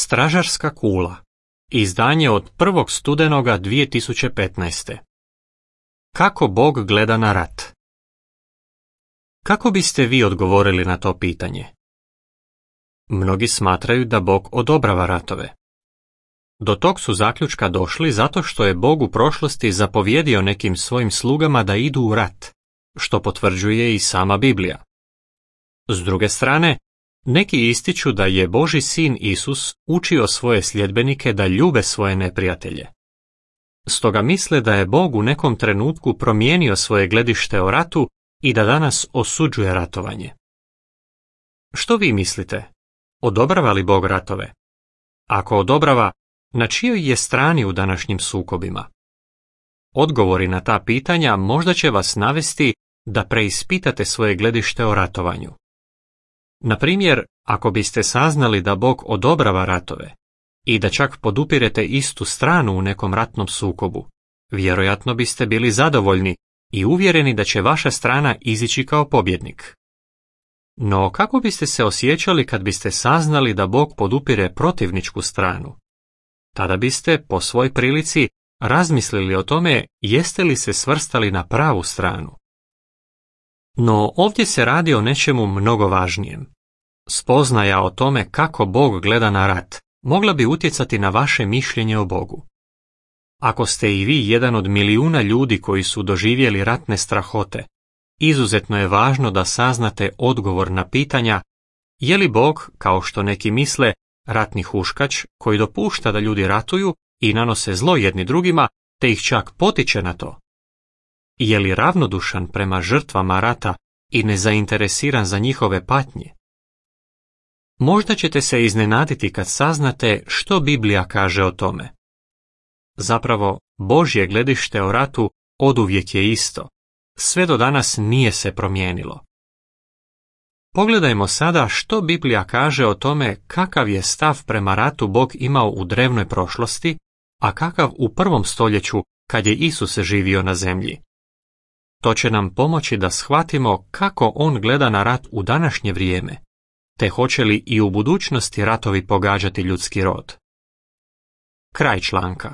Stražarska kula. Izdanje od 1. studenoga 2015. Kako Bog gleda na rat? Kako biste vi odgovorili na to pitanje? Mnogi smatraju da Bog odobrava ratove. Do tog su zaključka došli zato što je Bog u prošlosti zapovjedio nekim svojim slugama da idu u rat, što potvrđuje i sama Biblija. S druge strane, neki ističu da je Božji sin Isus učio svoje sljedbenike da ljube svoje neprijatelje. Stoga misle da je Bog u nekom trenutku promijenio svoje gledište o ratu i da danas osuđuje ratovanje. Što vi mislite? Odobrava li Bog ratove? Ako odobrava, na čijoj je strani u današnjim sukobima? Odgovori na ta pitanja možda će vas navesti da preispitate svoje gledište o ratovanju. Na primjer, ako biste saznali da Bog odobrava ratove i da čak podupirete istu stranu u nekom ratnom sukobu, vjerojatno biste bili zadovoljni i uvjereni da će vaša strana izići kao pobjednik. No kako biste se osjećali kad biste saznali da Bog podupire protivničku stranu? Tada biste, po svoj prilici, razmislili o tome jeste li se svrstali na pravu stranu. No ovdje se radi o nečemu mnogo važnijem. Spoznaja o tome kako Bog gleda na rat mogla bi utjecati na vaše mišljenje o Bogu. Ako ste i vi jedan od milijuna ljudi koji su doživjeli ratne strahote, izuzetno je važno da saznate odgovor na pitanja je li Bog, kao što neki misle, ratni huškač koji dopušta da ljudi ratuju i nanose zlo jedni drugima, te ih čak potiče na to. Je li ravnodušan prema žrtvama rata i nezainteresiran za njihove patnje? Možda ćete se iznenaditi kad saznate što Biblija kaže o tome. Zapravo, Božje gledište o ratu oduvijek je isto. Sve do danas nije se promijenilo. Pogledajmo sada što Biblija kaže o tome kakav je stav prema ratu Bog imao u drevnoj prošlosti, a kakav u 1. stoljeću kad je Isus živio na zemlji. To će nam pomoći da shvatimo kako on gleda na rat u današnje vrijeme, te hoće li i u budućnosti ratovi pogađati ljudski rod. Kraj članka.